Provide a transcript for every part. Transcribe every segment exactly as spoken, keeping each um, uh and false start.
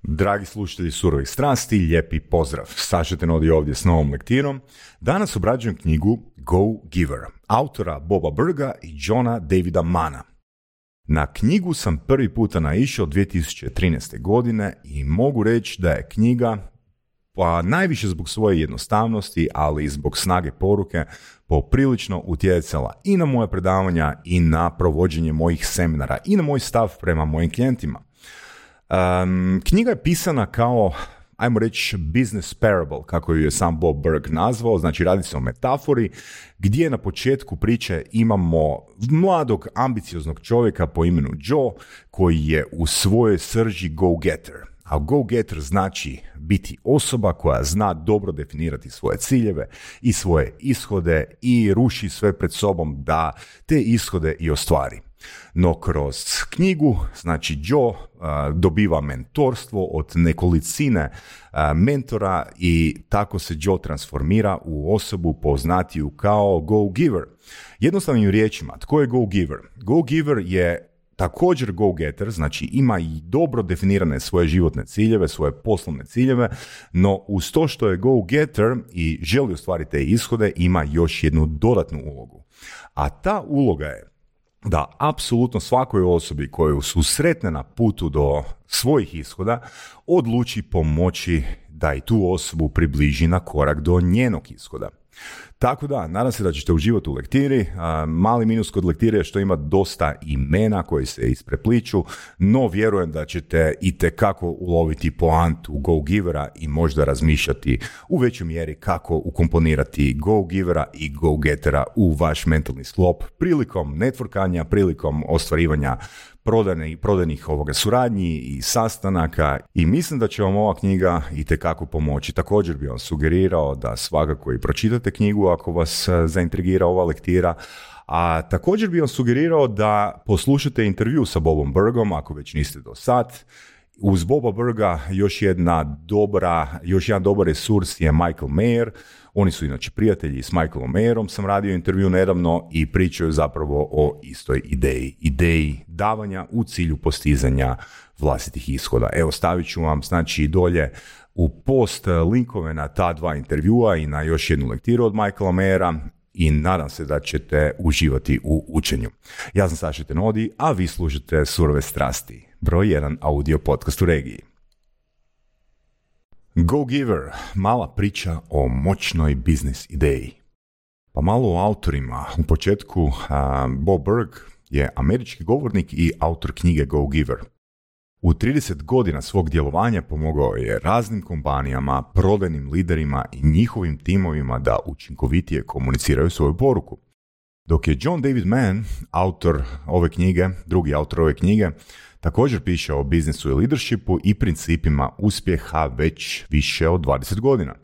Dragi slušatelji Surovih strasti, lijepi pozdrav. Saša Tenodi ovdje s novom lektirom. Danas obrađujem knjigu Go Giver, autora Boba Burga i Johna Davida Manna. Na knjigu sam prvi puta naišao dvije tisuće trinaeste. godine i mogu reći da je knjiga, pa najviše zbog svoje jednostavnosti, ali i zbog snage poruke, poprilično utjecala i na moje predavanja i na provođenje mojih seminara i na moj stav prema mojim klijentima. Um, knjiga je pisana kao, ajmo reći, business parable, kako ju je sam Bob Burg nazvao, znači radi se o metafori, gdje na početku priče imamo mladog, ambicioznog čovjeka po imenu Joe, koji je u svojoj srži go-getter. A go-getter znači biti osoba koja zna dobro definirati svoje ciljeve i svoje ishode i ruši sve pred sobom da te ishode i ostvari. No kroz knjigu, znači Joe uh, dobiva mentorstvo od nekolicine uh, mentora i tako se Joe transformira u osobu poznatiju kao go-giver. Jednostavnim riječima, tko je go-giver? Go-giver je također go-getter, znači ima i dobro definirane svoje životne ciljeve, svoje poslovne ciljeve, no uz to što je go-getter i želi ostvariti te ishode, ima još jednu dodatnu ulogu. A ta uloga je da apsolutno svakoj osobi koju susretne na putu do svojih ishoda odluči pomoći da i tu osobu približi na korak do njenog ishoda. Tako da, nadam se da ćete uživati u lektiri. Mali minus kod lektire je što ima dosta imena koji se isprepliču, no vjerujem da ćete itekako uloviti poantu go-givera i možda razmišljati u većoj mjeri kako ukomponirati go-givera i go-gettera u vaš mentalni sklop prilikom networkanja, prilikom ostvarivanja prodajnih, prodajnih ovoga suradnji i sastanaka, i mislim da će vam ova knjiga itekako pomoći. Također bih vam sugerirao da svakako i pročitate knjigu ako vas zaintrigira ova lektira, a također bih vam sugerirao da poslušate intervju sa Bobom Burgom ako već niste do sad. Uz Boba Burga još jedna dobra, još jedan dobar resurs je Michael Mayer. Oni su inače prijatelji, s Michaelom Mayerom sam radio intervju nedavno i pričaju zapravo o istoj ideji, ideji davanja u cilju postizanja vlastitih ishoda. Evo, stavit ću vam znači dolje u post linkove na ta dva intervjua i na još jednu lektiru od Michaela Mayera i nadam se da ćete uživati u učenju. Ja sam Saša Tenodi, a vi slušate Surove strasti, broj jedan audio podcast u regiji. Go Giver, mala priča o moćnoj biznis ideji. Pa malo o autorima. U početku uh, Bob Burg je američki govornik i autor knjige Go Giver. U trideset godina svog djelovanja pomogao je raznim kompanijama, prodajnim liderima i njihovim timovima da učinkovitije komuniciraju svoju poruku. Dok je John David Mann, autor ove knjige, drugi autor ove knjige, također piše o biznisu i leadershipu i principima uspjeha već više od dvadeset godina.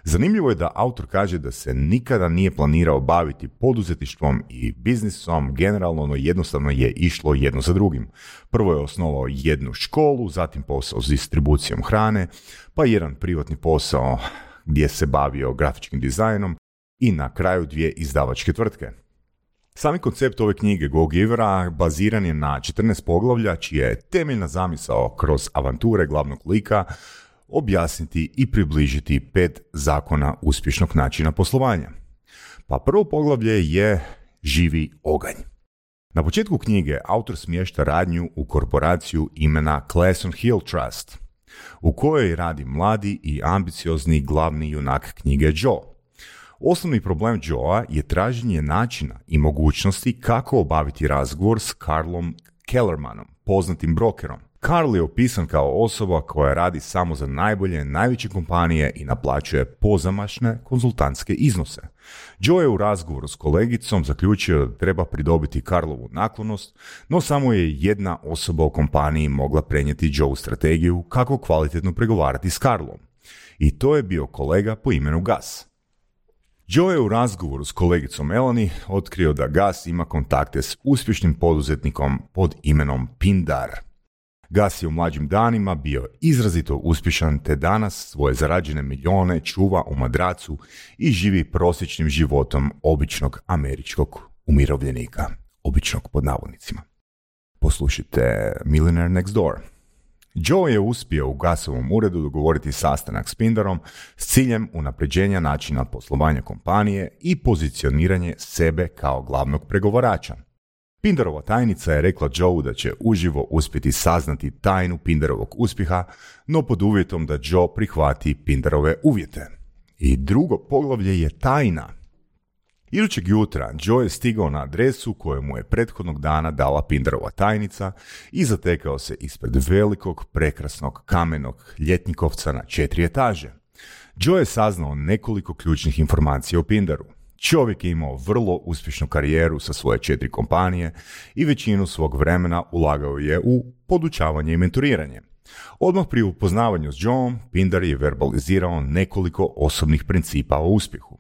Zanimljivo je da autor kaže da se nikada nije planirao baviti poduzetništvom i biznisom generalno, no jednostavno je išlo jedno za drugim. Prvo je osnovao jednu školu, zatim posao s distribucijom hrane, pa jedan privatni posao gdje se bavio grafičkim dizajnom i na kraju dvije izdavačke tvrtke. Sami koncept ove knjige Go Givera baziran je na četrnaest poglavlja, čija je temeljna zamisao kroz avanture glavnog lika objasniti i približiti pet zakona uspješnog načina poslovanja. Pa prvo poglavlje je živi oganj. Na početku knjige autor smješta radnju u korporaciju imena Clason Hill Trust, u kojoj radi mladi i ambiciozni glavni junak knjige Joe. Osnovni problem Joea je traženje načina i mogućnosti kako obaviti razgovor s Carlom Kellermanom, poznatim brokerom. Carl je opisan kao osoba koja radi samo za najbolje, najveće kompanije i naplaćuje pozamašne konzultantske iznose. Joe je u razgovoru s kolegicom zaključio da treba pridobiti Carlovu naklonost, no samo je jedna osoba u kompaniji mogla prenijeti Joe strategiju kako kvalitetno pregovarati s Carlom. I to je bio kolega po imenu Gus. Joe je u razgovoru s kolegicom Melanie otkrio da Gus ima kontakte s uspješnim poduzetnikom pod imenom Pindar. Gus je u mlađim danima bio izrazito uspješan te danas svoje zarađene milijone čuva u madracu i živi prosječnim životom običnog američkog umirovljenika. Običnog pod navodnicima. Poslušajte Millionaire Next Door. Joe je uspio u Gasovom uredu dogovoriti sastanak s Pindarom s ciljem unapređenja načina poslovanja kompanije i pozicioniranje sebe kao glavnog pregovarača. Pindarova tajnica je rekla Joe da će uživo uspjeti saznati tajnu Pindarovog uspjeha, no pod uvjetom da Joe prihvati Pindarove uvjete. I drugo poglavlje je tajna. Idućeg jutra Joe je stigao na adresu koju mu je prethodnog dana dala Pindarova tajnica i zatekao se ispred velikog, prekrasnog, kamenog ljetnikovca na četiri etaže. Joe je saznao nekoliko ključnih informacija o Pindaru. Čovjek je imao vrlo uspješnu karijeru sa svoje četiri kompanije i većinu svog vremena ulagao je u podučavanje i mentoriranje. Odmah pri upoznavanju s Joeom, Pindar je verbalizirao nekoliko osobnih principa o uspjehu.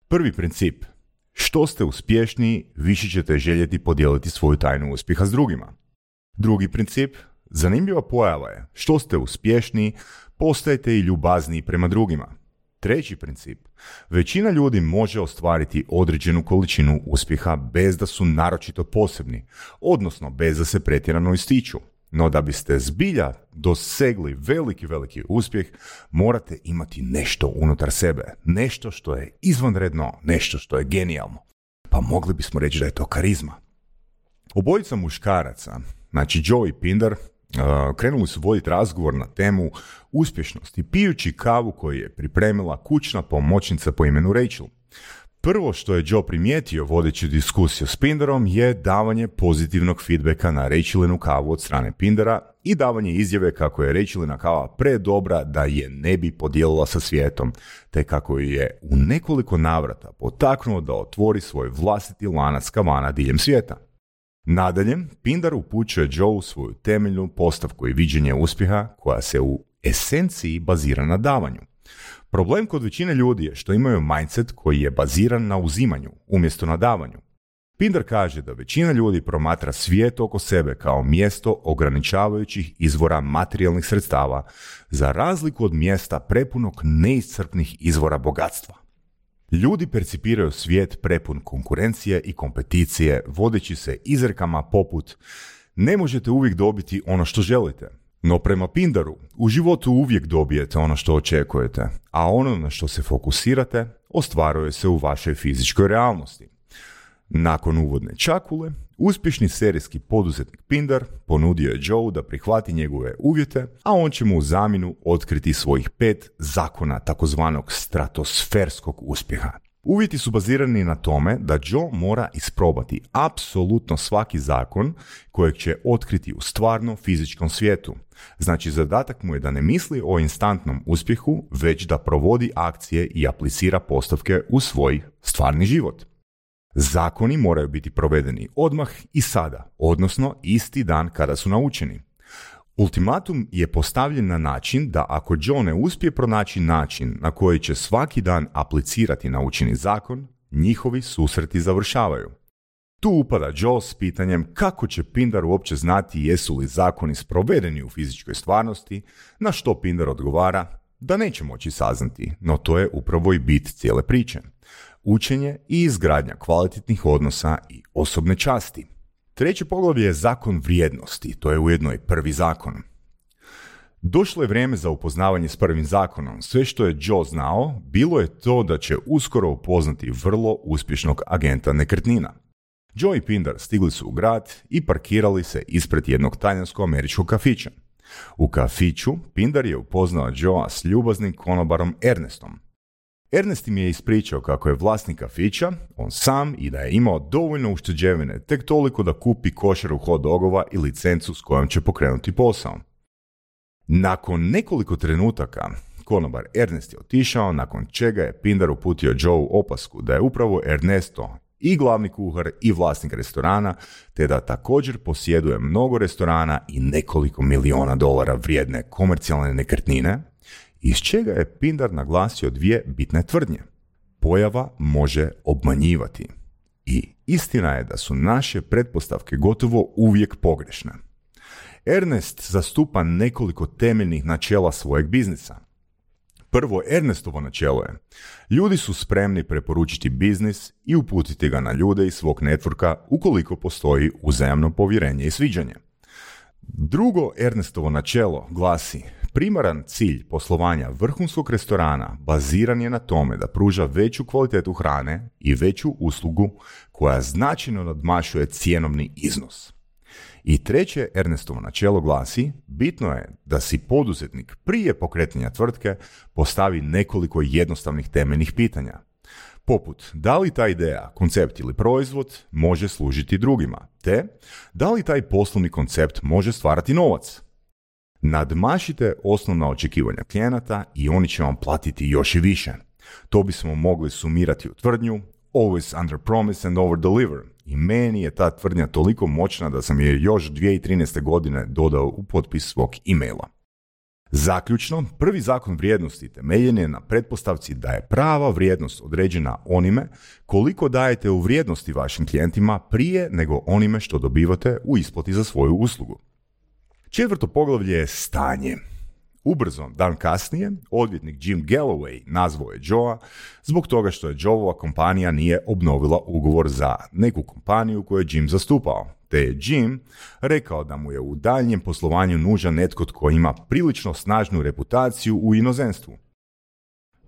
Prvi princip. Što ste uspješniji, više ćete željeti podijeliti svoju tajnu uspjeha s drugima. Drugi princip. Zanimljiva pojava je. Što ste uspješniji, postajete i ljubazniji prema drugima. Treći princip. Većina ljudi može ostvariti određenu količinu uspjeha bez da su naročito posebni, odnosno bez da se pretjerano ističu. No da biste zbilja dosegli veliki, veliki uspjeh, morate imati nešto unutar sebe. Nešto što je izvanredno, nešto što je genijalno. Pa mogli bismo reći da je to karizma. Obojica muškaraca, znači Joe i Pindar, Uh, krenuli su voditi razgovor na temu uspješnosti, pijući kavu koju je pripremila kućna pomoćnica po imenu Rachel. Prvo što je Joe primijetio vodeći diskusiju s Pindarom je davanje pozitivnog feedbacka na Rachelinu kavu od strane Pindara i davanje izjave kako je Rachelina kava predobra da je ne bi podijelila sa svijetom, te kako je u nekoliko navrata potaknuo da otvori svoj vlastiti lanac kavana diljem svijeta. Nadalje, Pindar upućuje Joe svoju temeljnu postavku i viđenje uspjeha koja se u esenciji bazira na davanju. Problem kod većine ljudi je što imaju mindset koji je baziran na uzimanju umjesto na davanju. Pindar kaže da većina ljudi promatra svijet oko sebe kao mjesto ograničavajućih izvora materijalnih sredstava, za razliku od mjesta prepunog neiscrpnih izvora bogatstva. Ljudi percipiraju svijet prepun konkurencije i kompeticije, vodeći se izrekama poput ne možete uvijek dobiti ono što želite. No prema Pindaru, u životu uvijek dobijete ono što očekujete, a ono na što se fokusirate ostvaruje se u vašoj fizičkoj realnosti. Nakon uvodne čakule, uspješni serijski poduzetnik Pindar ponudio je Joe da prihvati njegove uvjete, a on će mu u zamjenu otkriti svojih pet zakona takozvanog stratosferskog uspjeha. Uvjeti su bazirani na tome da Joe mora isprobati apsolutno svaki zakon kojeg će otkriti u stvarnom fizičkom svijetu. Znači, zadatak mu je da ne misli o instantnom uspjehu, već da provodi akcije i aplicira postavke u svoj stvarni život. Zakoni moraju biti provedeni odmah i sada, odnosno isti dan kada su naučeni. Ultimatum je postavljen na način da ako Joe ne uspije pronaći način na koji će svaki dan aplicirati naučeni zakon, njihovi susreti završavaju. Tu upada Joe s pitanjem kako će Pindar uopće znati jesu li zakoni sprovedeni u fizičkoj stvarnosti, na što Pindar odgovara da neće moći saznati, no to je upravo i bit cijele priče. Učenje i izgradnja kvalitetnih odnosa i osobne časti. Treće poglavlje je zakon vrijednosti, to je ujedno i prvi zakon. Došlo je vrijeme za upoznavanje s prvim zakonom. Sve što je Joe znao, bilo je to da će uskoro upoznati vrlo uspješnog agenta nekretnina. Joe i Pindar stigli su u grad i parkirali se ispred jednog talijansko-američkog kafića. U kafiću Pindar je upoznao Joea s ljubaznim konobarom Ernestom. Ernest im je ispričao kako je vlasnik kafića, on sam, i da je imao dovoljno ušteđevine, tek toliko da kupi košaru hot dogova i licencu s kojom će pokrenuti posao. Nakon nekoliko trenutaka, konobar Ernest je otišao, nakon čega je Pindar uputio Joe opasku da je upravo Ernesto i glavni kuhar i vlasnik restorana, te da također posjeduje mnogo restorana i nekoliko miliona dolara vrijedne komercijalne nekretnine, iz čega je Pindar naglasio dvije bitne tvrdnje. Pojava može obmanjivati. I istina je da su naše pretpostavke gotovo uvijek pogrešne. Ernest zastupa nekoliko temeljnih načela svojeg biznisa. Prvo, Ernestovo načelo je: ljudi su spremni preporučiti biznis i uputiti ga na ljude iz svog networka ukoliko postoji uzajamno povjerenje i sviđanje. Drugo Ernestovo načelo glasi: primaran cilj poslovanja vrhunskog restorana baziran je na tome da pruža veću kvalitetu hrane i veću uslugu koja značajno nadmašuje cjenovni iznos. I treće Ernestovo načelo glasi: bitno je da si poduzetnik prije pokretanja tvrtke postavi nekoliko jednostavnih temeljnih pitanja. Poput, da li ta ideja, koncept ili proizvod može služiti drugima, te da li taj poslovni koncept može stvarati novac. Nadmašite osnovna očekivanja klijenata i oni će vam platiti još i više. To bismo mogli sumirati u tvrdnju always under promise and over deliver. I meni je ta tvrdnja toliko moćna da sam je još dvije tisuće trinaeste. godine dodao u potpis svog e-maila. Zaključno, prvi zakon vrijednosti temeljen je na pretpostavci da je prava vrijednost određena onime koliko dajete u vrijednosti vašim klijentima prije nego onime što dobivate u isplati za svoju uslugu. Četvrto poglavlje je stanje. Ubrzo, dan kasnije, odvjetnik Jim Galloway nazvao je Joea zbog toga što je Joeova kompanija nije obnovila ugovor za neku kompaniju koju je Jim zastupao, te je Jim rekao da mu je u daljnjem poslovanju nužan netko tko ima prilično snažnu reputaciju u inozemstvu.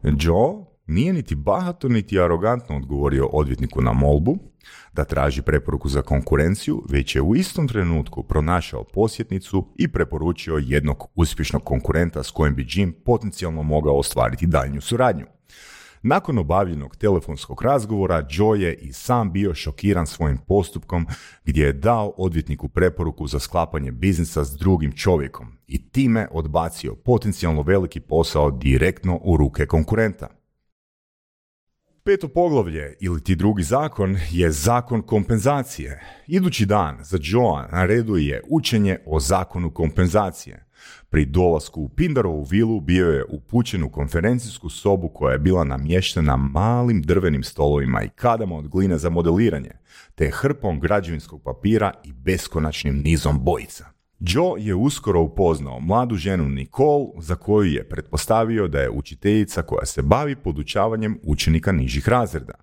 Joe nije niti bahato niti arogantno odgovorio odvjetniku na molbu da traži preporuku za konkurenciju, već je u istom trenutku pronašao posjetnicu i preporučio jednog uspješnog konkurenta s kojim bi Jim potencijalno mogao ostvariti daljnju suradnju. Nakon obavljenog telefonskog razgovora, Joe je i sam bio šokiran svojim postupkom gdje je dao odvjetniku preporuku za sklapanje biznisa s drugim čovjekom i time odbacio potencijalno veliki posao direktno u ruke konkurenta. Peto poglavlje, ili ti drugi zakon, je zakon kompenzacije. Idući dan za Joea na redu je učenje o zakonu kompenzacije. Pri dolasku u Pindarovu vilu bio je upućen u konferencijsku sobu koja je bila namještena malim drvenim stolovima i kadama od gline za modeliranje, te hrpom građevinskog papira i beskonačnim nizom bojica. Joe je uskoro upoznao mladu ženu Nicole, za koju je pretpostavio da je učiteljica koja se bavi podučavanjem učenika nižih razreda.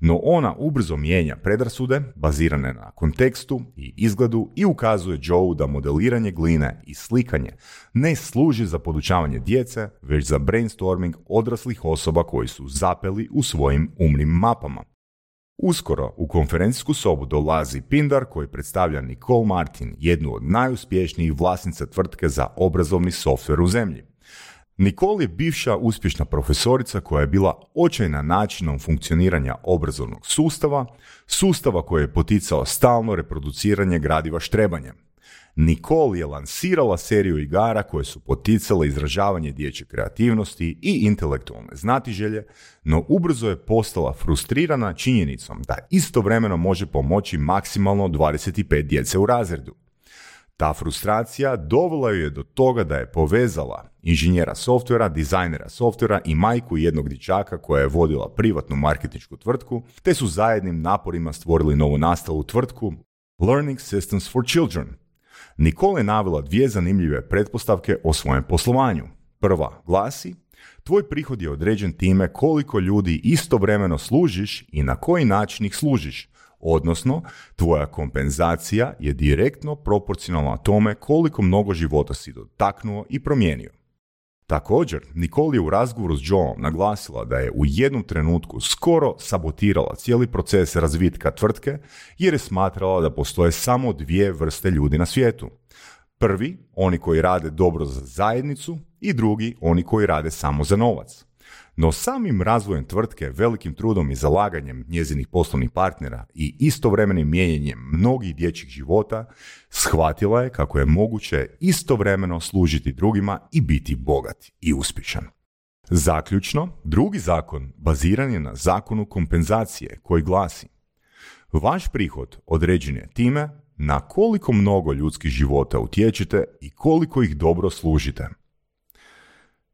No ona ubrzo mijenja predrasude bazirane na kontekstu i izgledu i ukazuje Joeu da modeliranje gline i slikanje ne služi za podučavanje djece, već za brainstorming odraslih osoba koji su zapeli u svojim umnim mapama. Uskoro u konferencijsku sobu dolazi Pindar koji predstavlja Nicole Martin, jednu od najuspješnijih vlasnica tvrtke za obrazovni softver u zemlji. Nicole je bivša uspješna profesorica koja je bila očajna načinom funkcioniranja obrazovnog sustava, sustava koji je poticao stalno reproduciranje gradiva štrebanjem. Nicole je lansirala seriju igara koje su poticale izražavanje dječje kreativnosti i intelektualne znatiželje, no ubrzo je postala frustrirana činjenicom da istovremeno može pomoći maksimalno dvadeset pet djece u razredu. Ta frustracija dovela ju je do toga da je povezala inženjera softvera, dizajnera softvera i majku jednog dječaka koja je vodila privatnu marketinšku tvrtku, te su zajednim naporima stvorili novonastalu tvrtku Learning Systems for Children. Nicole je navela dvije zanimljive pretpostavke o svojem poslovanju. Prva glasi: tvoj prihod je određen time koliko ljudi istovremeno služiš i na koji način ih služiš, odnosno tvoja kompenzacija je direktno proporcionalna tome koliko mnogo života si dotaknuo i promijenio. Također, Nicole je u razgovoru s Joeom naglasila da je u jednom trenutku skoro sabotirala cijeli proces razvitka tvrtke jer je smatrala da postoje samo dvije vrste ljudi na svijetu. Prvi, oni koji rade dobro za zajednicu, i drugi, oni koji rade samo za novac. No samim razvojem tvrtke, velikim trudom i zalaganjem njezinih poslovnih partnera i istovremenim mijenjanjem mnogih dječjih života, shvatila je kako je moguće istovremeno služiti drugima i biti bogat i uspješan. Zaključno, drugi zakon baziran je na zakonu kompenzacije koji glasi: vaš prihod određen je time na koliko mnogo ljudskih života utječete i koliko ih dobro služite.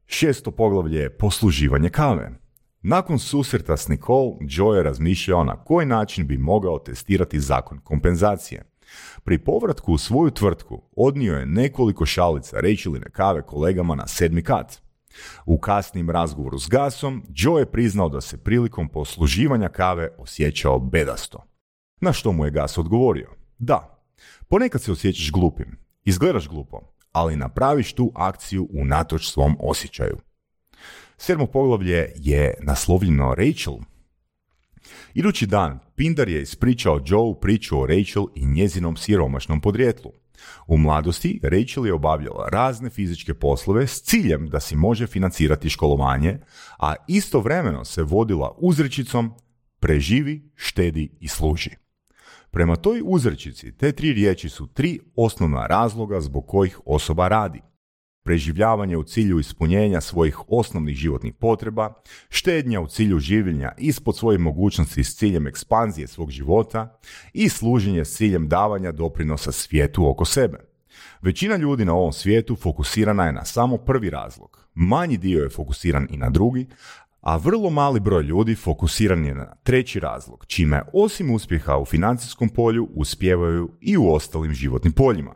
Šesto poglavlje je posluživanje kave. Nakon susreta s Nicole, Joe je razmišljao na koji način bi mogao testirati zakon kompenzacije. Pri povratku u svoju tvrtku odnio je nekoliko šalica rečiline kave kolegama na sedmi kat. U kasnim razgovoru s Gasom, Joe je priznao da se prilikom posluživanja kave osjećao bedasto. Na što mu je Gas odgovorio: da, ponekad se osjećaš glupim Izgledaš glupo, ali napraviš tu akciju unatoč svom osjećaju. Sedmo poglavlje je naslovljeno Rachel. Idući dan, Pindar je ispričao Joe priču o Rachel i njezinom siromašnom podrijetlu. U mladosti Rachel je obavljala razne fizičke poslove s ciljem da si može financirati školovanje, a istovremeno se vodila uzrečicom preživi, štedi i služi. Prema toj uzrečici te tri riječi su tri osnovna razloga zbog kojih osoba radi. Preživljavanje u cilju ispunjenja svojih osnovnih životnih potreba, štednja u cilju življenja ispod svojih mogućnosti s ciljem ekspanzije svog života i služenje s ciljem davanja doprinosa svijetu oko sebe. Većina ljudi na ovom svijetu fokusirana je na samo prvi razlog. Manji dio je fokusiran i na drugi, a vrlo mali broj ljudi fokusiran je na treći razlog, čime osim uspjeha u financijskom polju uspijevaju i u ostalim životnim poljima.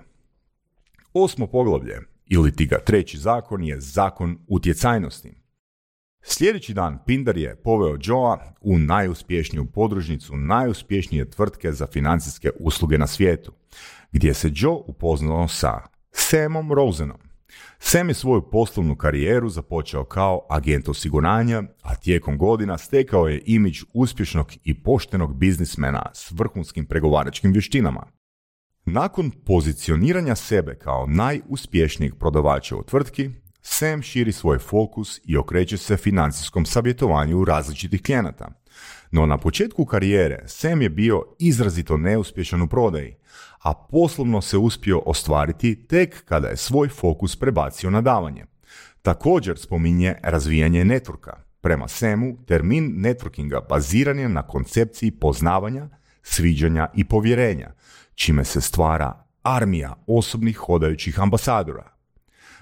Osmo poglavlje, ili ti ga treći zakon, je zakon utjecajnosti. Sljedeći dan Pindar je poveo Joea u najuspješniju podružnicu najuspješnije tvrtke za financijske usluge na svijetu, gdje se Joe upoznao sa Samom Rosenom. Sam je svoju poslovnu karijeru započeo kao agent osiguranja, a tijekom godina stekao je imidž uspješnog i poštenog biznismena s vrhunskim pregovaračkim vještinama. Nakon pozicioniranja sebe kao najuspješnijeg prodavača u tvrtki, Sam širi svoj fokus i okreće se financijskom savjetovanju različitih klijenata. No na početku karijere Sam je bio izrazito neuspješan u prodaji, a poslovno se uspio ostvariti tek kada je svoj fokus prebacio na davanje. Također spominje razvijanje networka. Prema Samu, termin networkinga baziran je na koncepciji poznavanja, sviđanja i povjerenja, čime se stvara armija osobnih hodajućih ambasadora.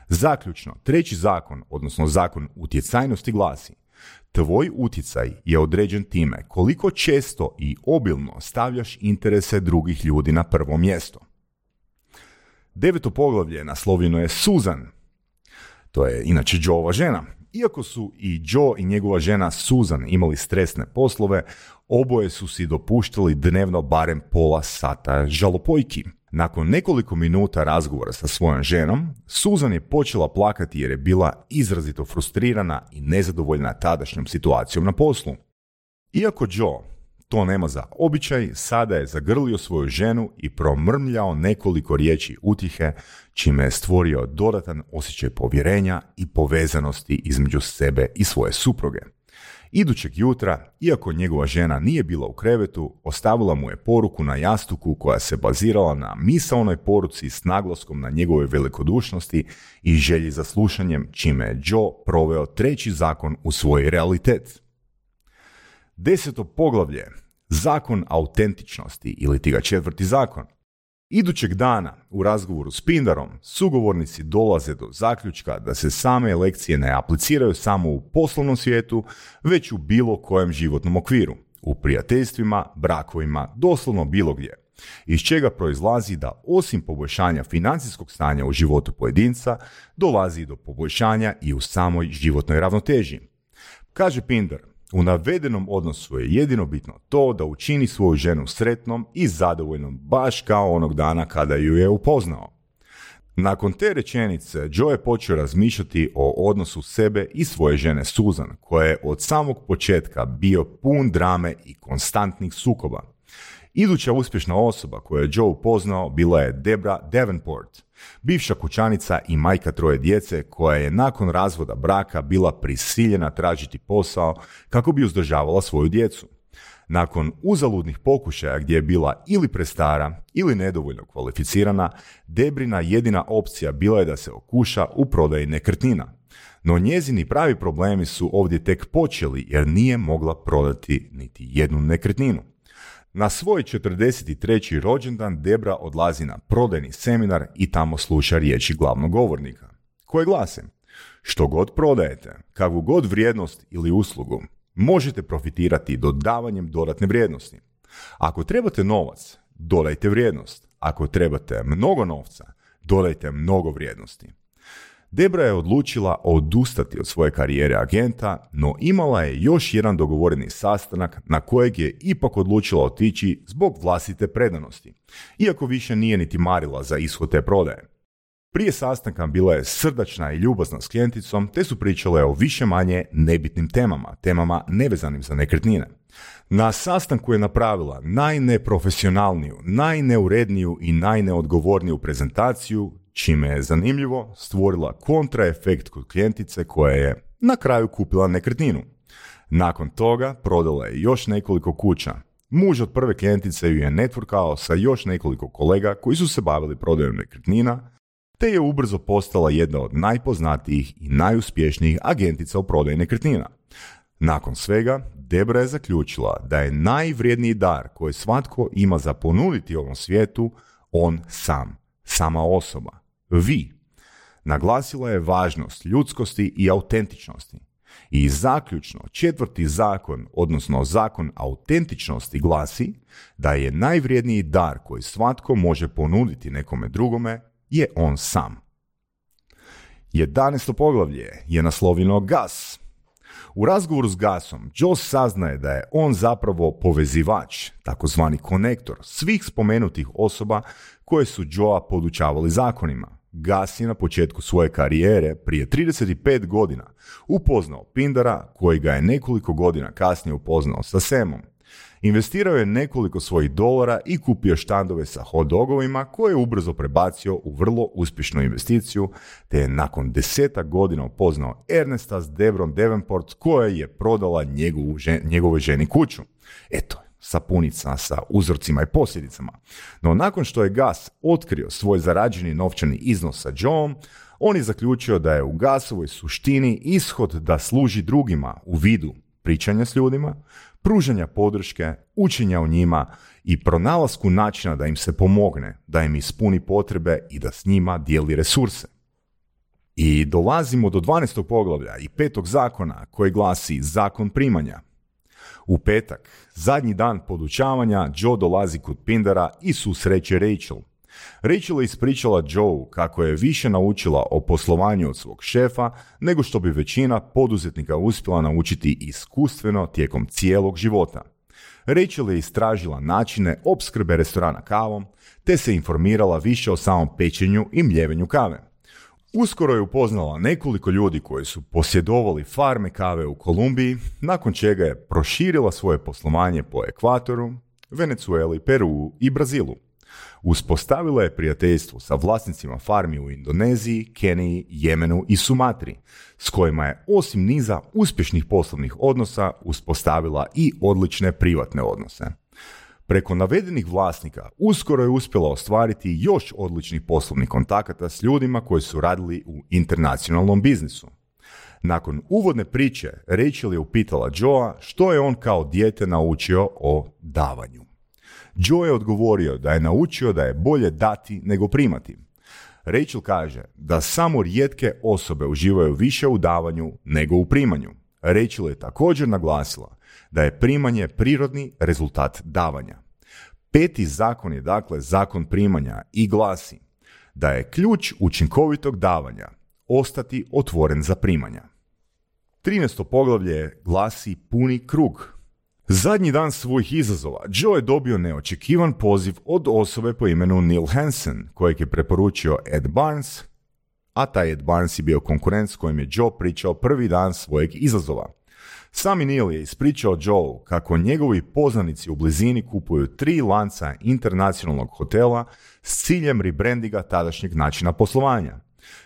Zaključno, treći zakon, odnosno zakon utjecajnosti glasi: tvoj utjecaj je određen time koliko često i obilno stavljaš interese drugih ljudi na prvo mjesto. Deveto poglavlje naslovljeno je Susan. To je inače Joeova žena. Iako su i Joe i njegova žena Susan imali stresne poslove, oboje su si dopuštali dnevno barem pola sata žalopojki. Nakon nekoliko minuta razgovora sa svojom ženom, Susan je počela plakati jer je bila izrazito frustrirana i nezadovoljna tadašnjom situacijom na poslu. Iako Joe to nema za običaj, sada je zagrlio svoju ženu i promrmljao nekoliko riječi utjehe, čime je stvorio dodatan osjećaj povjerenja i povezanosti između sebe i svoje supruge. Idućeg jutra, iako njegova žena nije bila u krevetu, ostavila mu je poruku na jastuku koja se bazirala na misaonoj poruci s naglaskom na njegove velikodušnosti i želji za slušanjem, čime je Joe proveo treći zakon u svoj realitet. Deseto poglavlje, zakon autentičnosti ili ti ga četvrti zakon. Idućeg dana u razgovoru s Pindarom sugovornici dolaze do zaključka da se same lekcije ne apliciraju samo u poslovnom svijetu, već u bilo kojem životnom okviru, u prijateljstvima, brakovima, doslovno bilo gdje, iz čega proizlazi da osim poboljšanja financijskog stanja u životu pojedinca, dolazi do poboljšanja i u samoj životnoj ravnoteži. Kaže Pindar, u navedenom odnosu je jedino bitno to da učini svoju ženu sretnom i zadovoljnom baš kao onog dana kada ju je upoznao. Nakon te rečenice, Joe je počeo razmišljati o odnosu sebe i svoje žene Susan, koja je od samog početka bio pun drame i konstantnih sukoba. Iduća uspješna osoba koju je Joe upoznao bila je Debra Davenport, bivša kućanica i majka troje djece koja je nakon razvoda braka bila prisiljena tražiti posao kako bi uzdržavala svoju djecu. Nakon uzaludnih pokušaja gdje je bila ili prestara ili nedovoljno kvalificirana, Debrina jedina opcija bila je da se okuša u prodaji nekretnina. No njezini pravi problemi su ovdje tek počeli jer nije mogla prodati niti jednu nekretninu. Na svoj četrdeset treći rođendan Debra odlazi na prodajni seminar i tamo sluša riječi glavnog govornika, koje glase: što god prodajete, kakvu god vrijednost ili uslugu, možete profitirati dodavanjem dodatne vrijednosti. Ako trebate novac, dodajte vrijednost. Ako trebate mnogo novca, dodajte mnogo vrijednosti. Debra je odlučila odustati od svoje karijere agenta, no imala je još jedan dogovoreni sastanak na kojeg je ipak odlučila otići zbog vlastite predanosti, iako više nije niti marila za ishod te prodaje. Prije sastanka bila je srdačna i ljubazna s klijenticom, te su pričale o više manje nebitnim temama, temama nevezanim za nekretnine. Na sastanku je napravila najneprofesionalniju, najneuredniju i najneodgovorniju prezentaciju, čime je zanimljivo stvorila kontraefekt kod klijentice koja je na kraju kupila nekretninu. Nakon toga prodala je još nekoliko kuća. Muž od prve klijentice ju je networkao sa još nekoliko kolega koji su se bavili prodajom nekretnina, te je ubrzo postala jedna od najpoznatijih i najuspješnijih agentica u prodaji nekretnina. Nakon svega, Debra je zaključila da je najvrijedniji dar koji svatko ima za ponuditi ovom svijetu on sam, sama osoba, vi. Naglasila je važnost ljudskosti i autentičnosti. I zaključno, četvrti zakon, odnosno zakon autentičnosti glasi da je najvrijedniji dar koji svatko može ponuditi nekome drugome je on sam. jedanaesto poglavlje je naslovljeno Gus. U razgovoru s Gusom, Joe saznaje da je on zapravo povezivač, takozvani konektor, svih spomenutih osoba koje su Joea podučavali zakonima. Gus je na početku svoje karijere, prije trideset pet godina, upoznao Pindara, koji ga je nekoliko godina kasnije upoznao sa Samom. Investirao je nekoliko svojih dolara i kupio štandove sa hot dogovima koje je ubrzo prebacio u vrlo uspješnu investiciju, te je nakon desetak godina upoznao Ernesta s Debrom Davenport koja je prodala njegovu žen, njegovoj ženi kuću. Eto, sapunica sa uzorcima i posljedicama. No nakon što je Gus otkrio svoj zarađeni novčani iznos sa Joeom, on je zaključio da je u Gusovoj suštini ishod da služi drugima u vidu pričanja s ljudima, pružanja podrške, učenja o njima i pronalasku načina da im se pomogne, da im ispuni potrebe i da s njima dijeli resurse. I dolazimo do dvanaestog poglavlja i petog zakona koji glasi zakon primanja. U petak, zadnji dan podučavanja, Joe dolazi kod Pindara i susreće Rachel. Rachel je ispričala Joe kako je više naučila o poslovanju od svog šefa nego što bi većina poduzetnika uspjela naučiti iskustveno tijekom cijelog života. Rachel je istražila načine opskrbe restorana kavom, te se informirala više o samom pečenju i mljevenju kave. Uskoro je upoznala nekoliko ljudi koji su posjedovali farme kave u Kolumbiji, nakon čega je proširila svoje poslovanje po Ekvatoru, Venezueli, Peruu i Brazilu. Uspostavila je prijateljstvo sa vlasnicima farmi u Indoneziji, Keniji, Jemenu i Sumatri, s kojima je osim niza uspješnih poslovnih odnosa uspostavila i odlične privatne odnose. Preko navedenih vlasnika uskoro je uspjela ostvariti još odličnih poslovnih kontakata s ljudima koji su radili u internacionalnom biznisu. Nakon uvodne priče, Rachel je upitala Joea što je on kao dijete naučio o davanju. Joe je odgovorio da je naučio da je bolje dati nego primati. Rachel kaže da samo rijetke osobe uživaju više u davanju nego u primanju. Rachel je također naglasila da je primanje prirodni rezultat davanja. Peti zakon je dakle zakon primanja i glasi da je ključ učinkovitog davanja ostati otvoren za primanja. trinaesto poglavlje glasi puni krug. Zadnji dan svojih izazova Joe je dobio neočekivan poziv od osobe po imenu Neil Hansen, kojeg je preporučio Ed Barnes, a taj Ed Barnes je bio konkurent s kojim je Joe pričao prvi dan svojeg izazova. Sami Neil je ispričao Joe kako njegovi poznanici u blizini kupuju tri lanca internacionalnog hotela s ciljem rebrandinga tadašnjeg načina poslovanja.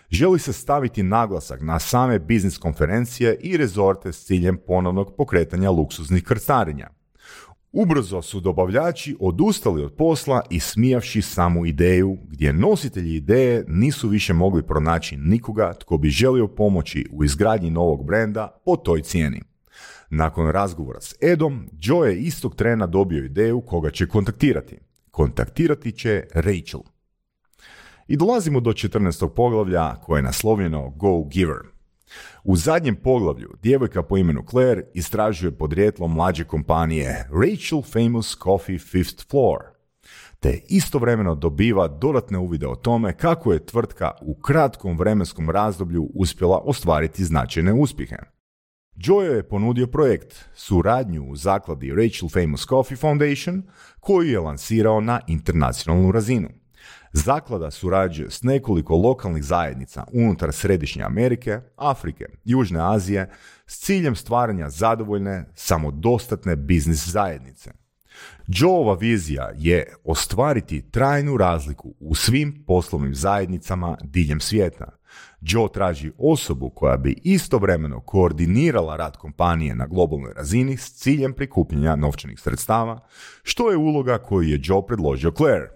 Želi se staviti naglasak na same biznis konferencije i rezorte s ciljem ponovnog pokretanja luksuznih krstarenja. Ubrzo su dobavljači odustali od posla i smijavši samu ideju, gdje nositelji ideje nisu više mogli pronaći nikoga tko bi želio pomoći u izgradnji novog brenda po toj cijeni. Nakon razgovora s Edom, Joe je istog trena dobio ideju koga će kontaktirati. Kontaktirati će Rachel. I dolazimo do četrnaestog poglavlja koje je naslovljeno Go Giver. U zadnjem poglavlju djevojka po imenu Claire istražuje podrijetlo mlađe kompanije Rachel Famous Coffee Fifth Floor, te istovremeno dobiva dodatne uvide o tome kako je tvrtka u kratkom vremenskom razdoblju uspjela ostvariti značajne uspjehe. Joe je ponudio projekt, suradnju u zakladi Rachel Famous Coffee Foundation, koju je lansirao na internacionalnu razinu. Zaklada surađuje s nekoliko lokalnih zajednica unutar Središnje Amerike, Afrike, Južne Azije s ciljem stvaranja zadovoljne, samodostatne biznis zajednice. Joeova vizija je ostvariti trajnu razliku u svim poslovnim zajednicama diljem svijeta. Joe traži osobu koja bi istovremeno koordinirala rad kompanije na globalnoj razini s ciljem prikupljanja novčanih sredstava, što je uloga koju je Joe predložio Claire.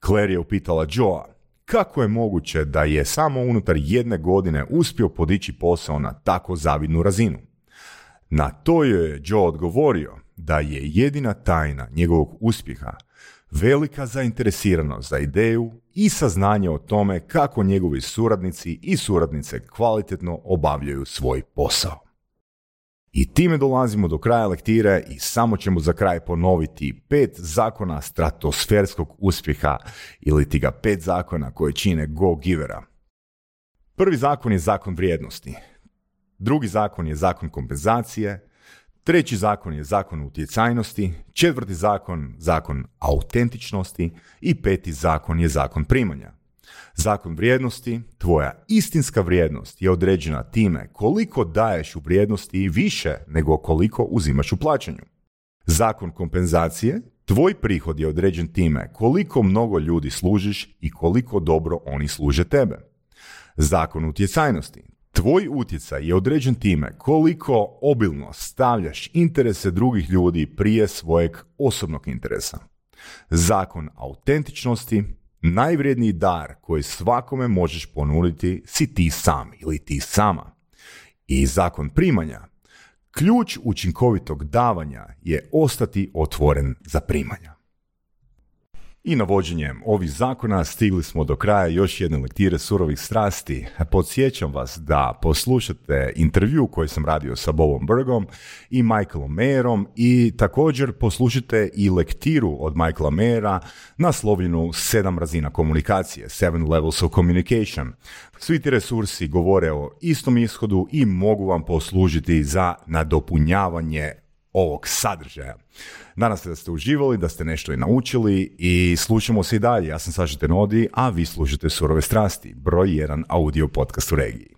Claire je upitala Joea kako je moguće da je samo unutar jedne godine uspio podići posao na tako zavidnu razinu. Na to je Joe odgovorio da je jedina tajna njegovog uspjeha velika zainteresiranost za ideju i saznanje o tome kako njegovi suradnici i suradnice kvalitetno obavljaju svoj posao. I time dolazimo do kraja lektire i samo ćemo za kraj ponoviti pet zakona stratosferskog uspjeha ili ti ga pet zakona koje čine go-givera. Prvi zakon je zakon vrijednosti. Drugi zakon je zakon kompenzacije. Treći zakon je zakon utjecajnosti. Četvrti zakon, zakon autentičnosti. I peti zakon je zakon primanja. Zakon vrijednosti, tvoja istinska vrijednost je određena time koliko daješ u vrijednosti više nego koliko uzimaš u plaćanju. Zakon kompenzacije, tvoj prihod je određen time koliko mnogo ljudi služiš i koliko dobro oni služe tebe. Zakon utjecajnosti, tvoj utjecaj je određen time koliko obilno stavljaš interese drugih ljudi prije svojeg osobnog interesa. Zakon autentičnosti, najvrijedniji dar koji svakome možeš ponuditi si ti sam ili ti sama. I zakon primanja, ključ učinkovitog davanja je ostati otvoren za primanja. I navođenjem ovih zakona stigli smo do kraja još jedne lektire surovih strasti. Podsjećam vas da poslušate intervju koji sam radio sa Bobom Burgom i Michaelom Mayerom i također poslušajte i lektiru od Michaela Mayera naslovljenu sedam razina komunikacije, Seven Levels of Communication. Svi ti resursi govore o istom ishodu i mogu vam poslužiti za nadopunjavanje ovog sadržaja. Nadam se da ste uživali, da ste nešto i naučili i slušamo se i dalje. Ja sam Saša Tenodi, a vi slušate Surove strasti, broj jedan audio podcast u regiji.